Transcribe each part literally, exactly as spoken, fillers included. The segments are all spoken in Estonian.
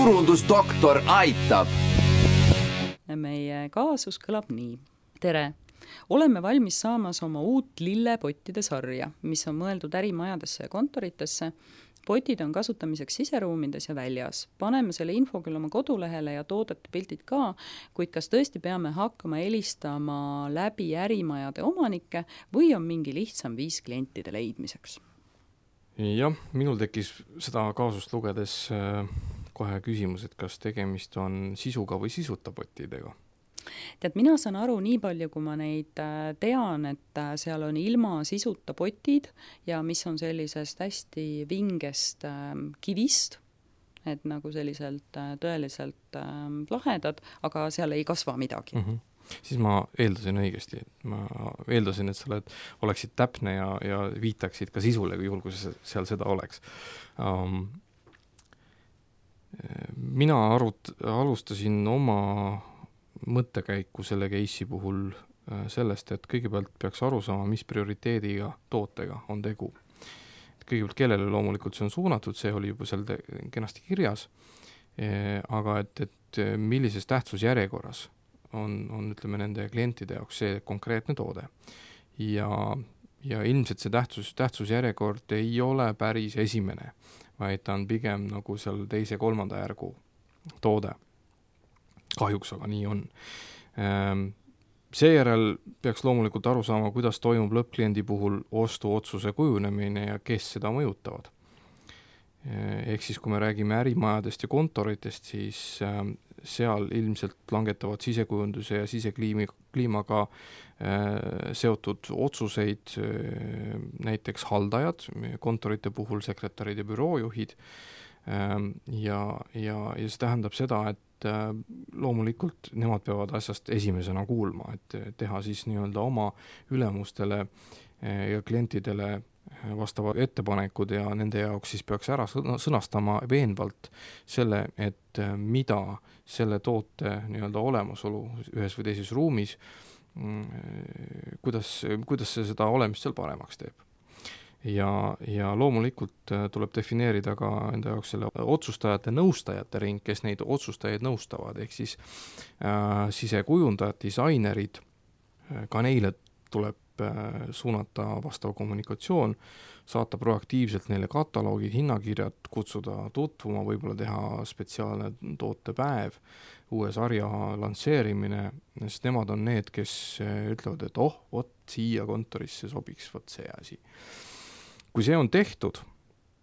turundusdoktor aitab. Meie kaasus kõlab nii. Tere! Oleme valmis saamas oma uut lillepottide sarja, mis on mõeldud ärimajadesse ja kontoritesse. Potid on kasutamiseks siseruumides ja väljas. Paneme selle info küll oma kodulehele ja toodete pildid ka, kuid kas tõesti peame hakkama helistama läbi ärimajade omanikke või on mingi lihtsam viis klientide leidmiseks? Jah, minul tekkis seda kaasust lugedes kohe küsimus, et kas tegemist on sisuga või sisuta potidega. Tead, mina saan aru nii palju, kui ma neid tean, et seal on ilma sisuta potid ja mis on sellisest hästi vingest kivist, et nagu selliselt tõeliselt lahedad, aga seal ei kasva midagi. Mm-hmm. Siis ma eeldasin õigesti, et ma eeldasin, et sa oleksid täpne ja, ja viitaksid ka sisule, juhul kui seal seda oleks. Um, mina arut, alustasin oma mõttekäiku selle case'i puhul sellest, et kõigepealt peaks aru saama, mis prioriteediga tootega on tegu. Kõigepealt kellele loomulikult see on suunatud, see oli juba seal kenasti kirjas, aga et, et millises tähtsusjärjekorras on, on ütleme, nende klientide jaoks see konkreetne toode. Ja, ja ilmselt see tähtsus, tähtsusjärjekord ei ole päris esimene, vaid ta on pigem nagu seal teise kolmanda järgu toode. Kahjuks aga nii on. Seejärel peaks loomulikult aru saama, kuidas toimub lõppkliendi puhul ostuotsuse kujunemine ja kes seda mõjutavad. Ehk siis, kui me räägime ärimajadest ja kontoritest, siis seal ilmselt langetavad sisekujunduse ja sisekliimaga seotud otsuseid näiteks haldajad, kontorite puhul sekretärid ja büroojuhid. Ja, ja, ja see tähendab seda, et loomulikult nemad peavad asjast esimesena kuulma, et teha siis nii-öelda oma ülemustele ja klientidele vastavad ettepanekud ja nende jaoks siis peaks ära sõnastama veenvalt selle, et mida selle toote nii-öelda olemasolu ühes või teises ruumis, kuidas, kuidas see seda olemist seal paremaks teeb. Ja, ja loomulikult tuleb defineerida ka enda jaoks selle otsustajate nõustajate ring, kes neid otsustajaid nõustavad, ehk siis äh, sisekujundajad, disainerid, ka neile tuleb äh, suunata vastav kommunikatsioon, saata proaktiivselt neile kataloogid, hinnakirjad, kutsuda tutvuma, võib-olla teha spetsiaalne tootepäev, uue sarja lansseerimine, sest nemad on need, kes ütlevad, et oh, vot siia kontorisse sobiks vot see asi. Kui see on tehtud,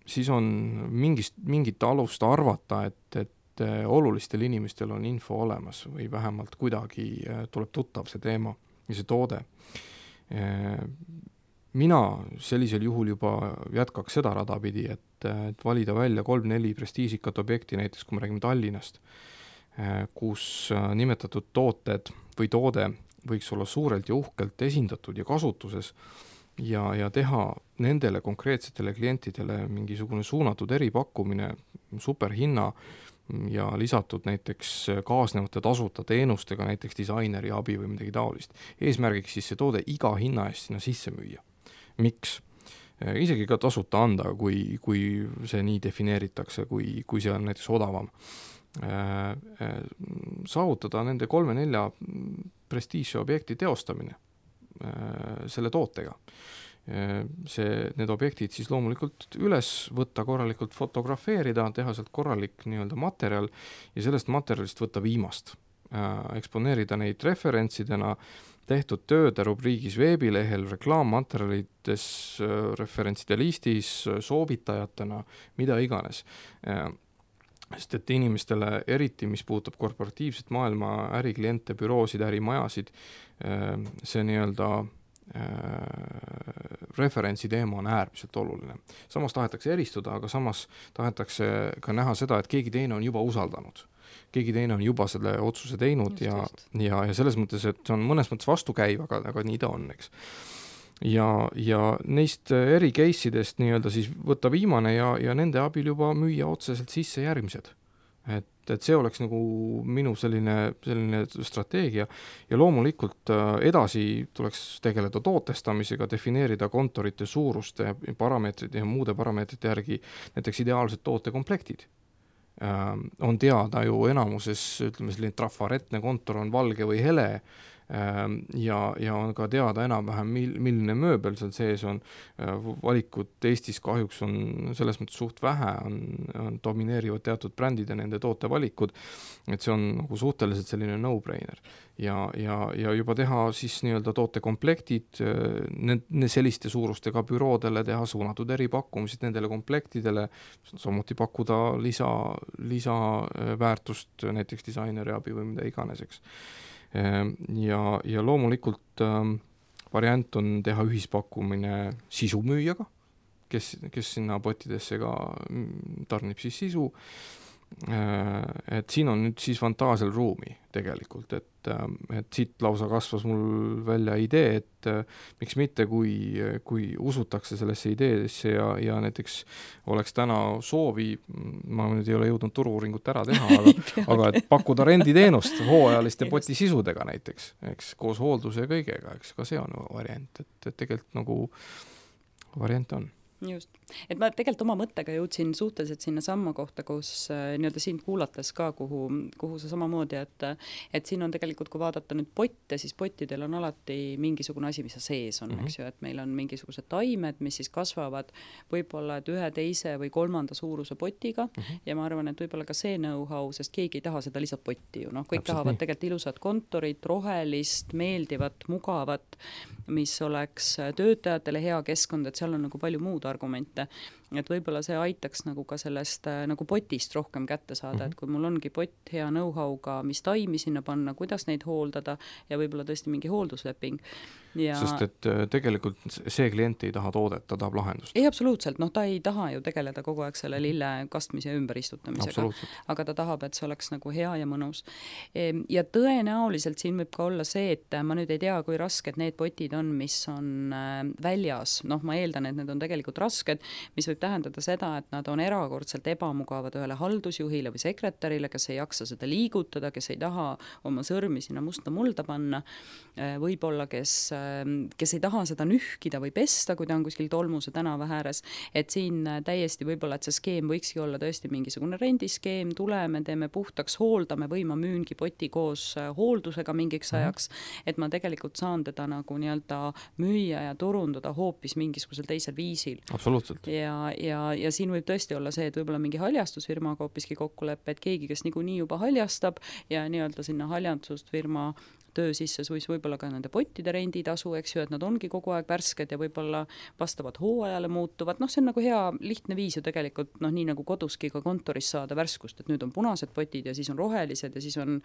siis on mingist, mingit alust arvata, et, et olulistel inimestel on info olemas või vähemalt kuidagi tuleb tuttav see teema ja see toode. Mina sellisel juhul juba jätkaks seda rada pidi, et, et valida välja kolm-neli prestiižikat objekti, näiteks kui me räägime Tallinnast, kus nimetatud tooted või toode võiks olla suurelt ja uhkelt esindatud ja kasutuses, Ja, ja teha nendele konkreetsetele klientidele mingisugune suunatud eripakkumine, superhinna ja lisatud näiteks kaasnevate tasuta teenustega, näiteks disaineri abi või midagi taolist. Eesmärgiks siis see toode iga hinna eest sinna sisse müüa. Miks? Isegi ka tasuta anda, kui, kui see nii defineeritakse, kui, kui see on näiteks odavam. Saavutada nende kolme-nelja prestiižse objekti teostamine selle tootega. See, need objektid siis loomulikult üles võtta, korralikult fotografeerida, teha sealt korralik nii-öelda materjal ja sellest materjalist võtta viimast. Eksponeerida neid referentsidena, tehtud tööde rubriigis veebilehel, reklaammaterjalides, referentside listis, soovitajatena, mida iganes. Sest et inimestele eriti, mis puudutab korporatiivset maailma, ärikliente, büroosid, ärimajasid, see nii-öelda referentsi teema on äärmiselt oluline. Samas tahetakse eristuda, aga samas tahetakse ka näha seda, et keegi teine on juba usaldanud. Keegi teine on juba selle otsuse teinud just, ja, just. ja, ja selles mõttes, et see on mõnes mõttes vastukäiv, aga, aga nii ta on, eks. Ja, ja neist eri case'idest nii-öelda siis võtta viimane ja, ja nende abil juba müüa otseselt sisse järgmised. Et, et see oleks nagu minu selline, selline strateegia ja loomulikult edasi tuleks tegeleda tootestamisega, defineerida kontorite suuruste parameetrite ja muude parameetrite järgi näiteks ideaalsed tootekomplektid. on teada ju enamuses, ütleme selline trafaretne kontor on valge või hele, ja, ja on ka teada enam-vähem, mil, milline mööbel seal sees on. Valikut Eestis kahjuks on selles mõttes suht vähe, on, on domineerivad teatud brändid ja nende tootevalikud, et see on nagu suhteliselt selline no-brainer. Ja, ja, ja juba teha siis nii-öelda tootekomplektid ne, selliste suurustega büroodele, teha suunatud eripakkumised nendele komplektidele, samuti pakkuda lisa, lisaväärtust näiteks disaineri abi või mida iganes, eks. Ja, ja loomulikult ähm, variant on teha ühispakkumine sisumüüjaga, kes, kes sinna potidesse ka tarnib siis sisu. Et siin on nüüd siis fantaasial ruumi tegelikult, et, et siit lausa kasvas mul välja idee, et miks mitte, kui, kui usutakse sellesse ideesse ja, ja näiteks oleks täna soovi, ma nüüd ei ole jõudnud turu-uuringut ära teha, aga, aga et pakkuda renditeenust hooajaliste potisisudega näiteks, eks, koos hoolduse ja kõigega, eks, ka see on variant, et, et tegelikult nagu variant on. Just. Et ma tegelikult oma mõttega jõudsin suhteliselt sinna samma kohta, kus äh, nii-öelda sind kuulates ka, kuhu, kuhu sa samamoodi, et, et siin on tegelikult, kui vaadata nüüd potte, siis pottidel on alati mingisugune asi, mis sees on, mm-hmm. eks ju, et meil on mingisugused taimed, mis siis kasvavad võib-olla et ühe teise või kolmanda suuruse potiga mm-hmm. ja ma arvan, et võib-olla ka see know-how, sest keegi ei taha seda lihtsalt potti ju, noh, kõik Täpselt tahavad nii. Tegelikult ilusat kontorit, rohelist, meeldivat, mugavat, mis oleks töötajatele hea keskkond, et seal on nagu palju muud argumente, et võib-olla see aitaks nagu ka sellest nagu potist rohkem kätte saada, mm-hmm. et kui mul ongi pott hea know-how'ga, mis taimi sinna panna, kuidas neid hooldada ja võib-olla tõesti mingi hooldusleping. Ja... Sest et tegelikult see klient ei taha toodet, ta tahab lahendust. Ei, absoluutselt, noh ta ei taha ju tegeleda kogu aeg selle lille kastmise ja ümberistutamisega, aga ta tahab, et see oleks nagu hea ja mõnus. Ja tõenäoliselt siin võib ka olla see, et ma nüüd ei tea, kui rasked need potid on, mis on väljas, noh ma eeldan, et need on tegelikult rasked, mis võib tähendada seda, et nad on erakordselt ebamugavad ühele haldusjuhile või sekretärile, kes ei jaksa seda liigutada, kes ei taha oma sõrmi sinna musta mulda panna, võib-olla kes kes ei taha seda nühkida või pesta, kui ta on kuskil tolmuse tänava ääres, et siin täiesti võib-olla, et see skeem võikski olla tõesti mingisugune rendiskeem, tuleme, teeme puhtaks, hooldame või ma müüngi poti koos hooldusega mingiks ajaks, et ma tegelikult saan teda nagu nii-öelda müüa ja turundada hoopis mingisugusel teisel viisil. Absoluutselt. Ja, ja, ja siin võib tõesti olla see, et võib-olla mingi haljastusfirmaga hoopiski kokkuleppe, et keegi, kes niikuinii juba haljastab ja nii-öelda sinna haljastusfirma töö sisse siis võib-olla ka nende pottide renditasu, eks ju, et nad ongi kogu aeg värsked ja võib-olla vastavad hooajale muutuvad. Noh, see on nagu hea lihtne viis ju tegelikult, noh, nii nagu koduski ka kontoris saada värskust, et nüüd on punased potid ja siis on rohelised ja siis on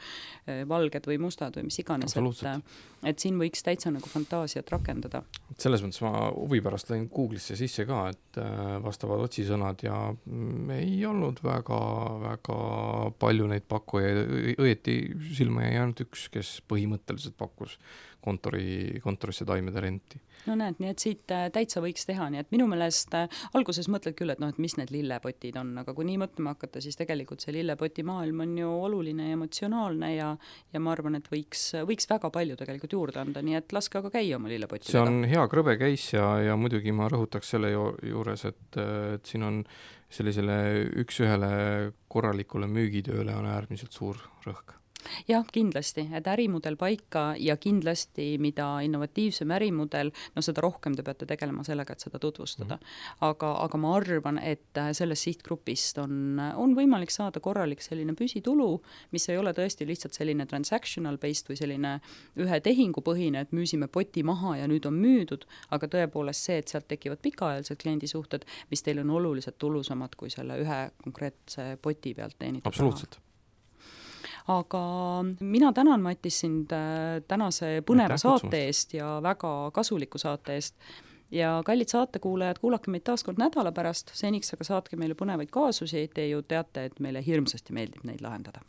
valged või mustad või mis iganes. Et, et siin võiks täitsa nagu fantaasiat rakendada. Selles mõttes ma huvi pärast lõin Google'isse sisse ka, et vastavad otsisõnad ja ei olnud väga, väga palju neid pakkujaid. Õieti silma jäi ainult üks, kes põhimõtteliselt mõtteliselt pakkus kontori, kontorisse taimede renti. No näed, nii et siit täitsa võiks teha, nii et minu meelest alguses mõtled küll, et noh, et mis need lillepotid on, aga kui nii mõtlema hakata, siis tegelikult see lillepoti maailm on ju oluline ja emotsionaalne ja, ja ma arvan, et võiks, võiks väga palju tegelikult juurde anda, nii et laske aga käia oma lillepotidega. See on hea krõbe käis ja, ja muidugi ma rõhutaks selle juures, et, et siin on sellisele üks-ühele korralikule müügitööle on äärmiselt suur rõhk. Jah, kindlasti, et ärimudel paika ja kindlasti, mida innovatiivsem ärimudel, no seda rohkem te peate tegelema sellega, et seda tutvustada. Aga, aga ma arvan, et sellest sihtgrupist on, on võimalik saada korralik selline püsitulu, mis ei ole tõesti lihtsalt selline transactional based või selline ühe tehingupõhine, et müüsime poti maha ja nüüd on müüdud, aga tõepoolest see, et sealt tekivad pikaajalised kliendisuhted, mis teil on oluliselt tulusamad kui selle ühe konkreetse poti pealt teenitud. Absoluutselt. Aga mina tänan, Matis, sind tänase põneva saate eest ja väga kasuliku saate eest. Ja kallid saatekuulajad, kuulake meid taas kord nädala pärast, seniks aga saatke meile põnevaid kaasusi, te ju teate, et meile hirmsasti meeldib neid lahendada.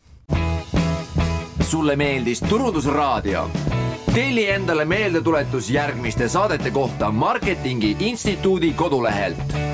Sulle meeldis Turundusraadio? Telli endale meeldetuletus järgmiste saadete kohta Marketingi Instituudi kodulehelt.